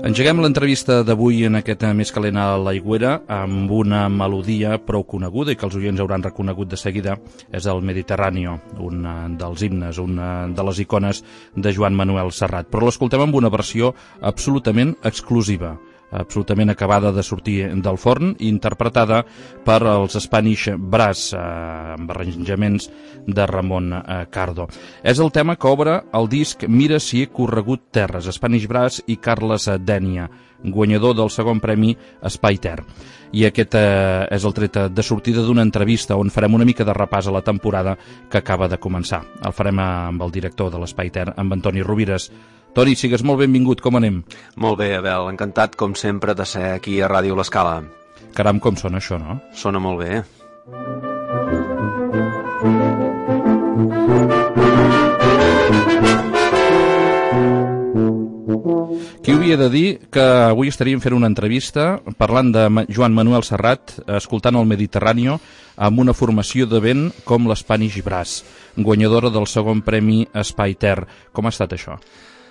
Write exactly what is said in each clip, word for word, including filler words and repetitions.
Engeguem l'entrevista d'avui en aquest Més calent a l'Aigüera amb una melodia prou coneguda i que els oients hauran reconegut de seguida. És el Mediterráneo, un dels himnes, una de les icones de Joan Manuel Serrat. Però l'escoltem amb una versió absolutament exclusiva, absolutament acabada de sortir del forn, interpretada per els Spanish Brass, eh, amb arranjaments de Ramon eh, Cardo. És el tema que obre el disc Mira si he corregut terres, Spanish Brass i Carles Dénia, guanyador del segon premi Espai Ter. I aquest eh, és el tret de sortida d'una entrevista on farem una mica de repàs a la temporada que acaba de començar. El farem amb el director de l'Espai Ter, amb Antoni Rovires. Toni, sigues molt benvingut, com anem? Molt bé, Abel, encantat com sempre de ser aquí a Ràdio L'Escala. Caram, com sona això, no? Sona molt bé. Qui havia de dir que avui estaríem fent una entrevista parlant de Joan Manuel Serrat, escoltant el Mediterráneo, amb una formació de vent com l'Spanish Brass, guanyadora del segon premi Espai Ter. Com ha estat això?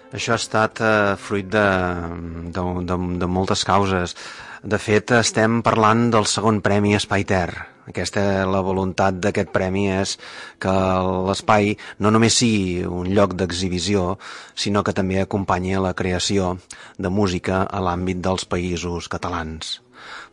Això ha estat eh, fruit de, de, de, de moltes causes. De fet, estem parlant del segon premi Espai Ter. Aquesta, la voluntat d'aquest premi és que l'espai no només sigui un lloc d'exhibició, sinó que també acompanyi la creació de música a l'àmbit dels països catalans.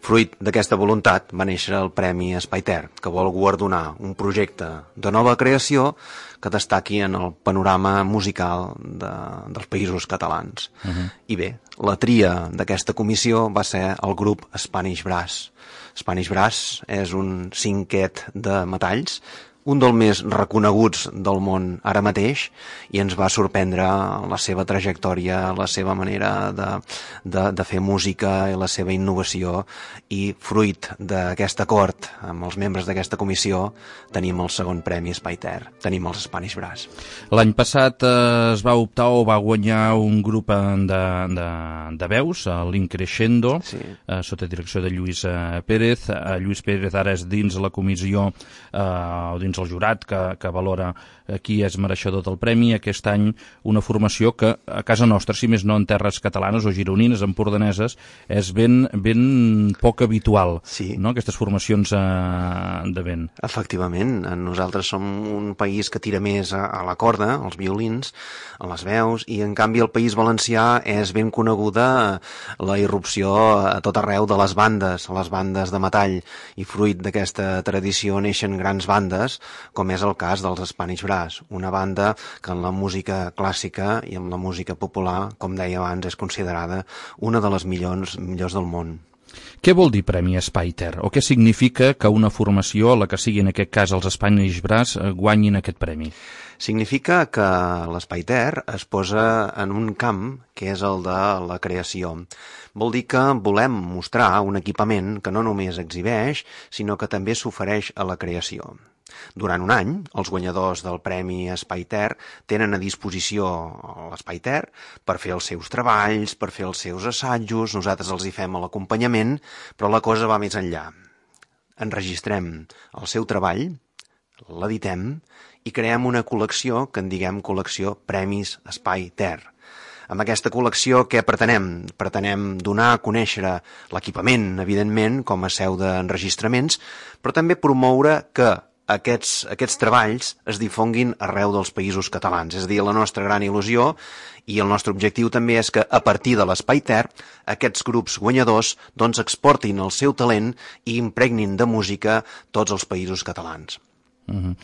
Fruit d'aquesta voluntat va néixer el Premi Espai Ter, que vol guardonar un projecte de nova creació que destaqui en el panorama musical de, dels països catalans. Uh-huh. I bé, la tria d'aquesta comissió va ser el grup Spanish Brass. Spanish Brass és un cinquet de metalls, un dels més reconeguts del món ara mateix, i ens va sorprendre la seva trajectòria, la seva manera de, de, de fer música i la seva innovació, i fruit d'aquest acord amb els membres d'aquesta comissió tenim el segon premi Espai Ter, tenim els Spanish Brass. L'any passat eh, es va optar o va guanyar un grup de, de, de veus, l'Increscendo, sí. eh, sota direcció de Lluís eh, Pérez. Eh, Lluís Pérez ara és dins la comissió eh, o dins el jurat que, que valora qui és mereixedor del premi. Aquest any una formació que a casa nostra, si més no en terres catalanes o gironines, empordaneses, és ben, ben poc habitual, sí. No? Aquestes formacions eh, de vent. Efectivament, nosaltres som un país que tira més a, a la corda, als violins, a les veus, i en canvi el País Valencià és ben coneguda la irrupció a tot arreu de les bandes, les bandes de metall, i fruit d'aquesta tradició neixen grans bandes, com és el cas dels Spanish Brass, una banda que en la música clàssica i en la música popular, com deia abans, és considerada una de les millors, millors del món. Què vol dir Premi Espai Ter? O què significa que una formació, la que sigui en aquest cas els Spanish Brass, guanyin aquest premi? Significa que l'Espai Ter es posa en un camp que és el de la creació. Vol dir que volem mostrar un equipament que no només exhibeix, sinó que també s'ofereix a la creació. Durant un any, els guanyadors del Premi Espai Ter tenen a disposició l'Espai Ter per fer els seus treballs, per fer els seus assajos, nosaltres els hi fem l'acompanyament, però la cosa va més enllà. Enregistrem el seu treball, l'editem i creem una col·lecció que en diguem col·lecció Premis Espai Ter. Amb aquesta col·lecció què pretenem? Pretenem donar a conèixer l'equipament, evidentment, com a seu d'enregistraments, però també promoure que Aquests, aquests treballs es difonguin arreu dels països catalans. És a dir, la nostra gran il·lusió i el nostre objectiu també és que a partir de l'Espai Ter aquests grups guanyadors doncs exportin el seu talent i impregnin de música tots els països catalans. Uh-huh.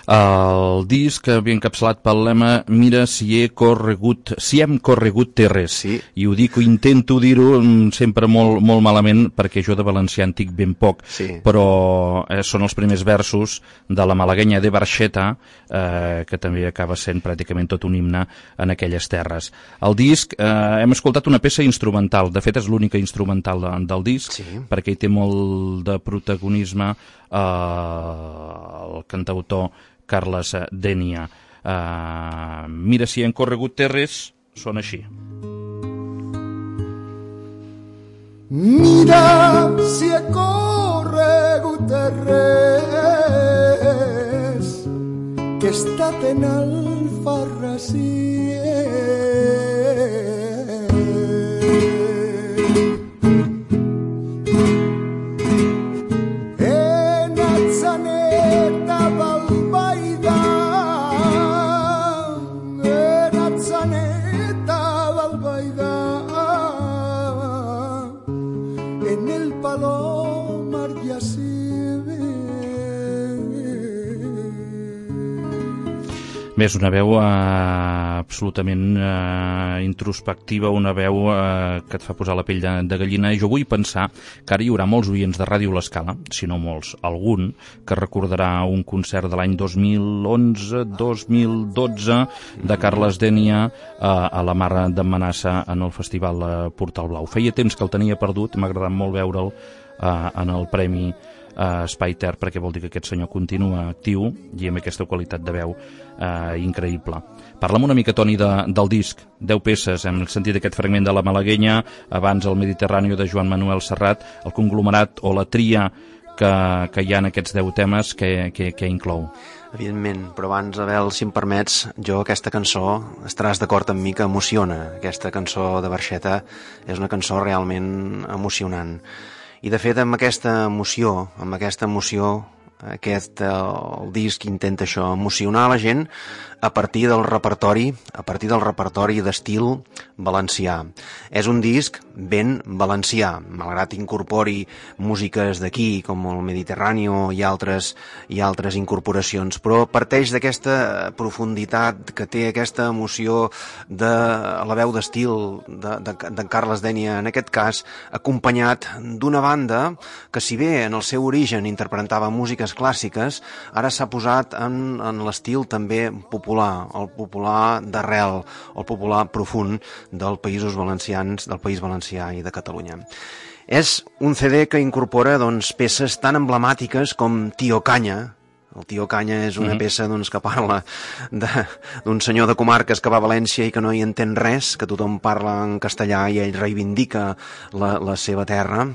El disc havia encapçalat pel lema Mira si he corregut, si hem corregut terres, sí. I ho dic, ho intento dir-ho sempre molt, molt malament perquè jo de valencià en dic ben poc, sí. Però eh, són els primers versos de la malaguenya de Barxeta, eh, que també acaba sent pràcticament tot un himne en aquelles terres. El disc, eh, hem escoltat una peça instrumental, de fet és l'única instrumental de, del disc, sí. Perquè hi té molt de protagonisme eh, el cantautor Carles Dénia. Uh, mira si hem corregut terres, són així. Mira si he corregut terres, que he estat en Alfarrasí. Bé, és una veu eh, absolutament eh, introspectiva, una veu eh, que et fa posar la pell de, de gallina, i jo vull pensar que ara hi haurà molts oients de Ràdio L'Escala, si no molts, algun, que recordarà un concert de l'any dos mil onze dos mil dotze de Carles Dénia eh, a la Mar d'en Manassa en el Festival eh, Portal Blau. Feia temps que el tenia perdut, m'ha agradat molt veure'l eh, en el Premi Uh, Espai Ter, perquè vol dir que aquest senyor continua actiu i amb aquesta qualitat de veu uh, increïble. Parla'm una mica, Toni, de, del disc, deu peces, hem sentit aquest fragment de La Malaguenya, abans el Mediterrani de Joan Manuel Serrat, el conglomerat o la tria que, que hi ha en aquests deu temes, que, que, que inclou? Evidentment, però abans, Abel, si em permets, jo aquesta cançó, estaràs d'acord amb mi que emociona. Aquesta cançó de Barxeta és una cançó realment emocionant. I de fet amb aquesta emoció, amb aquesta emoció, aquest, el disc intenta això, emocionar la gent a partir del repertori, a partir del repertori d'estil valencià. És un disc ben valencià, malgrat incorpori músiques d'aquí, com el Mediterrani i altres, i altres incorporacions, però parteix d'aquesta profunditat que té aquesta emoció de la veu d'estil de, de, de Carles Dénia, en aquest cas, acompanyat d'una banda que, si bé en el seu origen interpretava músiques clàssiques, ara s'ha posat en, en l'estil també popular, el popular d'arrel, el popular profund dels països valencians, del País Valencià i de Catalunya. És un C D que incorpora doncs, peces tan emblemàtiques com Tio Canya. El Tio Canya és una mm-hmm. peça doncs, que parla d'un senyor de comarques que va a València i que no hi entén res, que tothom parla en castellà i ell reivindica la, la seva terra.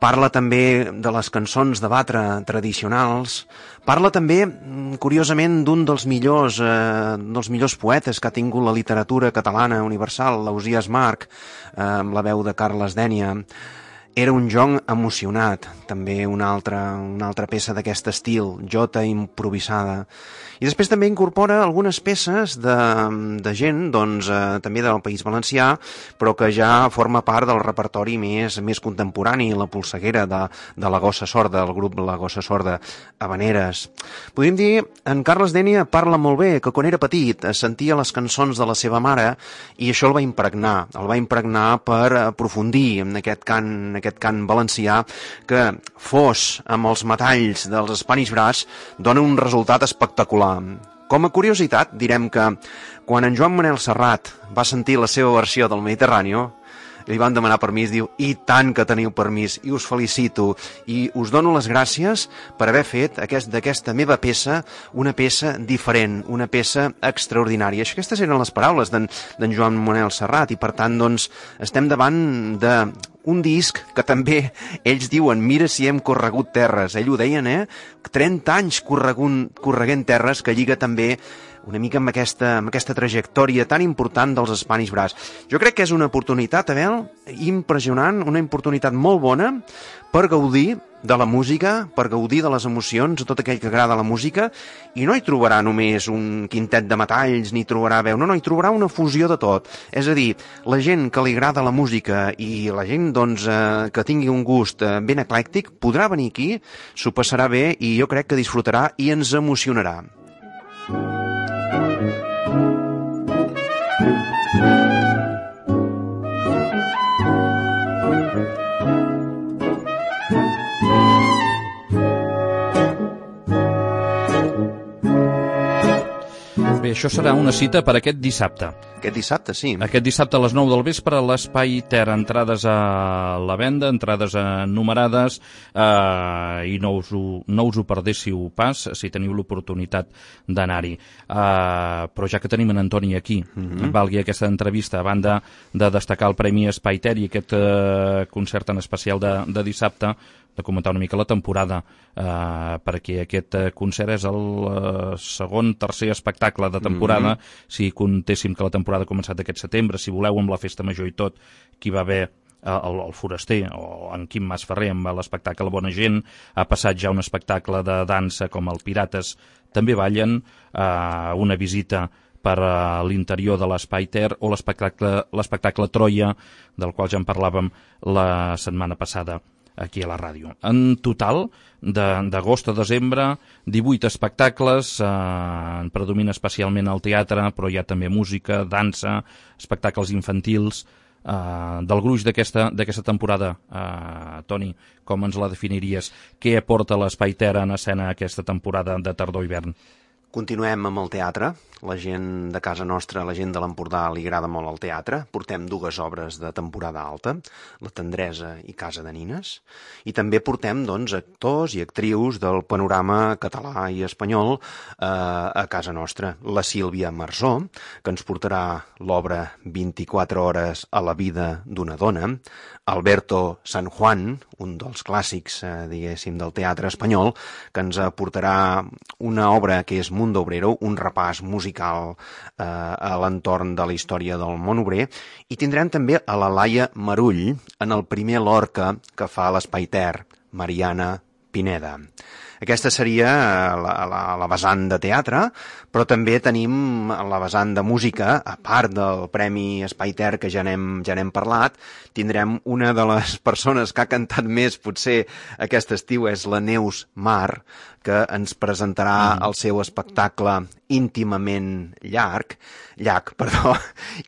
Parla també de les cançons de batre tradicionals. Parla també, curiosament, d'un dels millors, eh, dels millors poetes que ha tingut la literatura catalana universal, l'Ausiàs March, eh, amb la veu de Carles Dénia. Era un jong emocionat, també una altra, una altra peça d'aquest estil, jota improvisada. I després també incorpora algunes peces de, de gent, doncs, eh, també del País Valencià, però que ja forma part del repertori més, més contemporani, la polseguera de, de la Gossa Sorda, el grup La Gossa Sorda, Havaneres. Podríem dir, en Carles Dénia parla molt bé, que quan era petit sentia les cançons de la seva mare i això el va impregnar, el va impregnar per aprofundir en aquest cant, en aquest cant valencià, que fos amb els metalls dels Spanish Brass dona un resultat espectacular. Com a curiositat, direm que quan en Joan Manuel Serrat va sentir la seva versió del Mediterrani, li van demanar permís, diu, i tant que teniu permís, i us felicito, i us dono les gràcies per haver fet aquest, d'aquesta meva peça una peça diferent, una peça extraordinària. Aquestes eren les paraules d'en Joan Manuel Serrat, i per tant, doncs, estem davant de un disc que també ells diuen, mira si hem corregut terres. Ell ho deien, eh? trenta anys corregunt, correguent terres, que lliga també una mica amb aquesta, amb aquesta trajectòria tan important dels Spanish Brass. Jo crec que és una oportunitat, Abel, impressionant, una oportunitat molt bona per gaudir de la música, per gaudir de les emocions, a tot aquell que agrada la música, i no hi trobarà només un quintet de metalls, ni trobarà veu, no, no, hi trobarà una fusió de tot. És a dir, la gent que li agrada la música i la gent doncs, eh, que tingui un gust eh, ben eclèctic, podrà venir aquí, s'ho passarà bé i jo crec que disfrutarà i ens emocionarà. Bé, això serà una cita per aquest dissabte. Aquest dissabte, sí. Aquest dissabte a les nou del vespre a l'Espai Ter, entrades a la venda, entrades numerades, eh, i no us, ho, no us ho perdéssiu pas si teniu l'oportunitat d'anar-hi. Eh, però ja que tenim en Antoni aquí, mm-hmm. valgui aquesta entrevista, a banda de destacar el Premi Espai Ter i aquest eh, concert en especial de, de dissabte, de comentar una mica la temporada, eh, perquè aquest concert és el eh, segon, tercer espectacle de temporada, mm-hmm. si contéssim que la temporada ha començat aquest setembre, si voleu, amb la festa major i tot, que hi va haver el, el Foraster, o en Quim Masferrer, amb l'espectacle Bona Gent, ha passat ja un espectacle de dansa com el Pirates, també ballen, eh, una visita per a l'interior de l'Espai Ter, o l'espectacle l'espectacle Troia, del qual ja en parlàvem la setmana passada aquí a la ràdio. En total, d'agost a desembre, divuit espectacles, eh, predomina especialment el teatre, però hi ha també música, dansa, espectacles infantils. Eh, del gruix d'aquesta d'aquesta temporada, eh, Toni, com ens la definiries? Què aporta l'Espai Ter en escena aquesta temporada de tardor-hivern? Continuem amb el teatre. La gent de casa nostra, la gent de l'Empordà, li agrada molt el teatre. Portem dues obres de temporada alta, La tendresa i Casa de Nines. I també portem, doncs, actors i actrius del panorama català i espanyol eh, a casa nostra. La Sílvia Marsó, que ens portarà l'obra vint-i-quatre hores a la vida d'una dona. Alberto San Juan, un dels clàssics, eh, diguéssim, del teatre espanyol, que ens aportarà una obra que és Mundo Obrero, un repàs musical eh, a l'entorn de la història del món obrer, i tindrem també a la Laia Marull en el primer Lorca que fa l'Espai Ter, Mariana Pineda. Aquesta seria la, la, la vessant de teatre, però també tenim la vessant de música, a part del Premi Espai Ter, que ja n'hem ja n'hem parlat. Tindrem una de les persones que ha cantat més, potser, aquest estiu, és la Neus Mar, que ens presentarà mm. el seu espectacle íntimament llarg, llarg, perdó,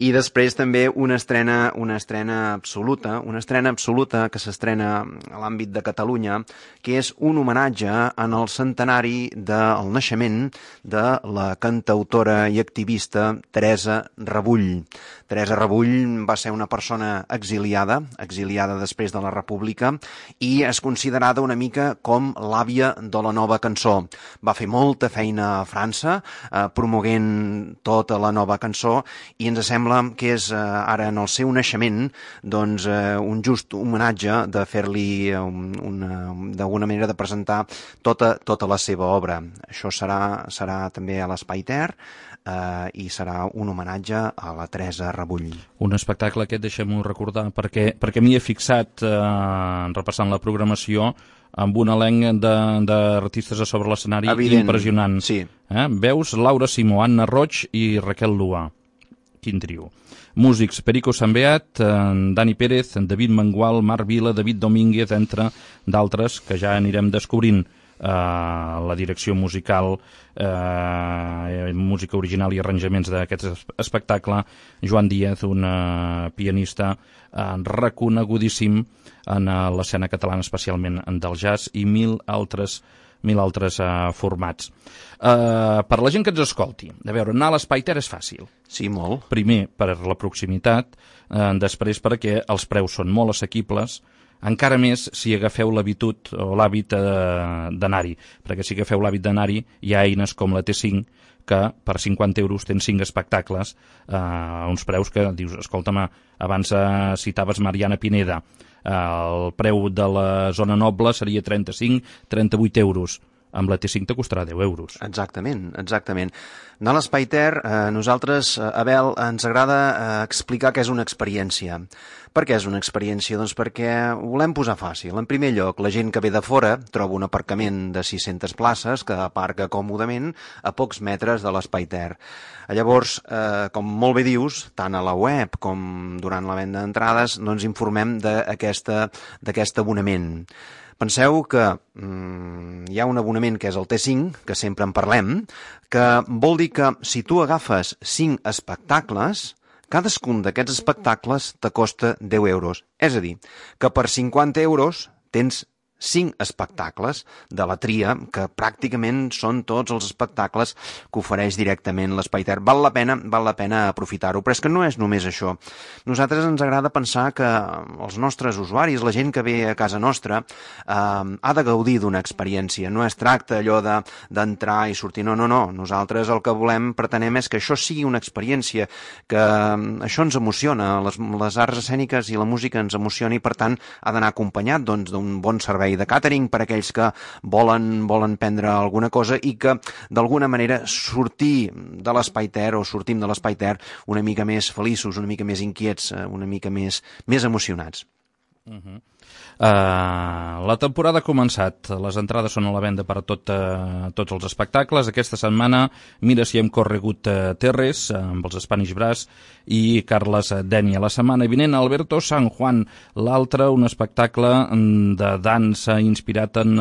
i després també una estrena, una estrena absoluta, una estrena absoluta que s'estrena a l'àmbit de Catalunya, que és un homenatge en el centenari del naixement de la cantautora i activista Teresa Rebull. Teresa Rebull va ser una persona exiliada, exiliada després de la República, i és considerada una mica com l'àvia de la nova cançó. Va fer molta feina a França, eh, promoguent tota la nova cançó, i ens sembla que és eh, ara en el seu naixement doncs, eh, un just homenatge de fer-li un, una, d'alguna manera de presentar tota, tota la seva obra. Això serà, serà també a l'Espai Ter, Uh, i serà un homenatge a la Teresa Rebull. Un espectacle aquest, deixem-ho recordar, perquè, perquè m'hi he fixat, uh, repassant la programació, amb un elenc d'artistes a sobre l'escenari impressionant. Sí. Eh? Veus Laura Simó, Anna Roig i Raquel Lua. Quin trio. Músics, Perico Sambeat, Dani Pérez, David Mengual, Marc Vila, David Domínguez, entre d'altres que ja anirem descobrint. Uh, la direcció musical, uh, música original i arranjaments d'aquest espectacle, Joan Díaz, un uh, pianista uh, reconegudíssim en uh, l'escena catalana, especialment del jazz, i mil altres mil altres uh, formats. Uh, per la gent que ens escolti, a veure, anar a l'Espai Ter és fàcil. Sí, molt. Primer, per la proximitat, uh, després perquè els preus són molt assequibles, encara més si agafeu l'habitud o l'hàbit eh, d'anar-hi, perquè si agafeu l'hàbit d'anar-hi hi ha eines com la T cinc que per cinquanta euros tens cinc espectacles eh, a uns preus que dius, escolta'm, abans eh, citaves Mariana Pineda, eh, el preu de la zona noble seria trenta-cinc a trenta-vuit euros. Amb la T cinc te costarà deu euros. Exactament, exactament. Anar a l'Espai Ter, eh, nosaltres, eh, Abel, ens agrada eh, explicar que és una experiència. Per què és una experiència? Doncs perquè ho volem posar fàcil. En primer lloc, la gent que ve de fora troba un aparcament de sis-centes places que aparca còmodament a pocs metres de l'Espai Ter. Llavors, eh, com molt bé dius, tant a la web com durant la venda d'entrades, no ens informem d'aquest abonament. Penseu que mm, hi ha un abonament que és el T cinc, que sempre en parlem, que vol dir que si tu agafes cinc espectacles, cadascun d'aquests espectacles te costa deu euros. És a dir, que per cinquanta euros tens cinc espectacles de la tria, que pràcticament són tots els espectacles que ofereix directament l'Espai Ter. Val la pena, val la pena aprofitar-ho, però és que no és només això. Nosaltres ens agrada pensar que els nostres usuaris, la gent que ve a casa nostra, eh, ha de gaudir d'una experiència. No es tracta allò de d'entrar i sortir, no, no, no. Nosaltres el que volem, pretenem, és que això sigui una experiència, que això ens emociona, les, les arts escèniques i la música ens emociona i, per tant, ha d'anar acompanyat doncs, d'un bon servei de càtering per aquells que volen, volen prendre alguna cosa i que d'alguna manera sortir de l'Espai Ter o sortim de l'Espai Ter una mica més feliços, una mica més inquiets, una mica més, més emocionats. Uh-huh. Uh, la temporada ha començat, les entrades són a la venda per a tot, uh, tots els espectacles. Aquesta setmana mira si hem corregut uh, Terres uh, amb els Spanish Brass i Carles Denia. La setmana vinent Alberto San Juan, l'altre un espectacle de dansa inspirat en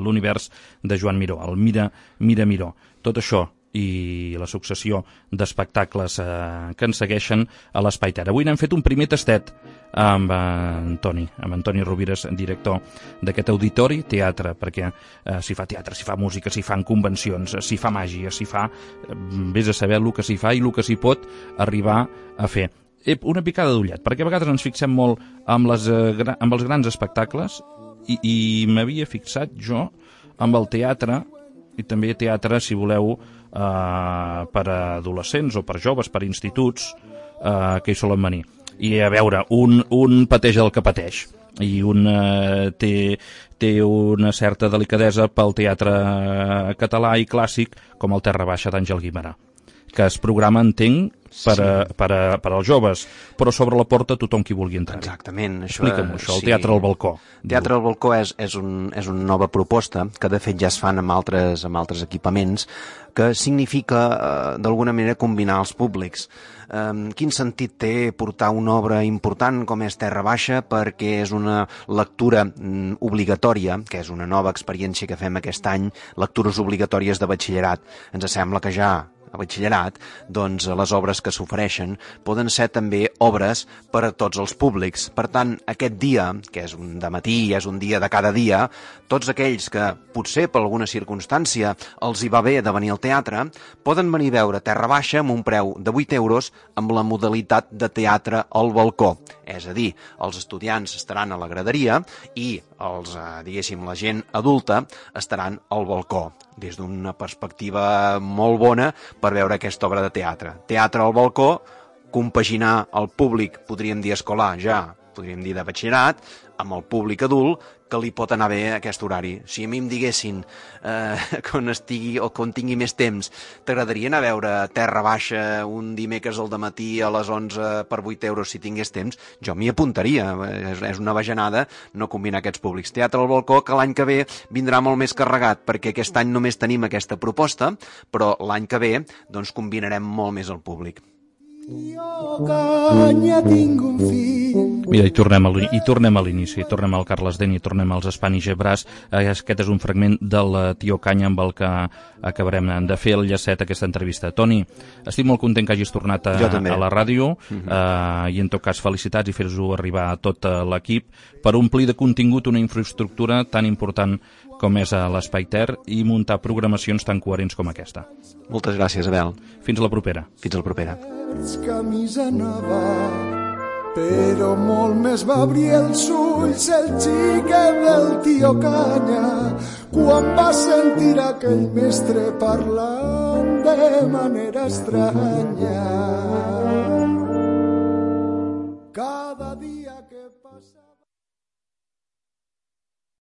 l'univers de Joan Miró, el Mira, Mira Miró. Tot això i la successió d'espectacles eh, que ens segueixen a l'Espai Ter. Avui n'hem fet un primer tastet amb eh, Antoni, amb Antoni Rovires, director d'aquest auditori teatre, perquè eh, s'hi fa teatre, s'hi fa música, s'hi fan convencions, s'hi fa màgia, s'hi fa, eh, vés a saber el que s'hi fa i el que s'hi pot arribar a fer. Eh, una picada d'ullet, perquè a vegades ens fixem molt amb, les, eh, amb els grans espectacles i, i m'havia fixat jo amb el teatre, i també teatre, si voleu, eh, per a adolescents o per joves, per instituts, eh, que hi solen venir. I a veure, un, un pateix el que pateix i un eh, té, té una certa delicadesa pel teatre català i clàssic com el Terra Baixa d'Àngel Guimerà, que es programa, entenc, per, a, per, a, per als joves, però sobre la porta tothom qui vulgui entrar. Exactament. Explica'm això, el sí. Teatre al Balcó. Teatre al Balcó és, és, un, és una nova proposta que de fet ja es fan amb altres, amb altres equipaments, que significa eh, d'alguna manera combinar els públics. Eh, quin sentit té portar una obra important com és Terra Baixa, perquè és una lectura mm, obligatòria, que és una nova experiència que fem aquest any, lectures obligatòries de batxillerat. Ens sembla que ja a batxillerat, doncs les obres que s'ofereixen poden ser també obres per a tots els públics. Per tant, aquest dia, que és un dematí, és un dia de cada dia, tots aquells que potser per alguna circumstància els hi va bé de venir al teatre, poden venir a veure Terra Baixa amb un preu de vuit euros amb la modalitat de teatre al balcó. És a dir, els estudiants estaran a la graderia i els, eh, diguéssim, la gent adulta estaran al balcó, des d'una perspectiva molt bona per veure aquesta obra de teatre. Teatre al balcó, compaginar el públic, podríem dir escolar ja, podríem dir de batxillerat, amb el públic adult, que li pot anar bé aquest horari. Si a mi em diguessin, eh, quan estigui o quan tingui més temps, t'agradaria anar a veure Terra Baixa un dimecres al dematí a les onze per vuit euros si tingués temps, jo m'hi apuntaria. És, és una bajanada no combinar aquests públics. Teatre al balcó, que l'any que ve vindrà molt més carregat, perquè aquest any només tenim aquesta proposta, però l'any que ve doncs combinarem molt més el públic. Mira, i tornem a, i tornem a l'inici, tornem al Carles Denia, tornem als Spanish Brass. Aquest és un fragment del Tio Canya amb el que acabarem de fer el llacet aquesta entrevista. Toni, estic molt content que hagis tornat a, a la ràdio, uh-huh. eh, i en tot cas felicitats i fer-ho arribar a tot l'equip per omplir de contingut una infraestructura tan important com és a l'Espai Ter i muntar programacions tan coherents com aquesta. Moltes gràcies, Abel. Fins a la propera. Fins a la propera. Camisa nova, però molt més va obrir els ulls el xiquet del Tio Canya quan va sentir aquell mestre parlant de manera estranya. Cada dia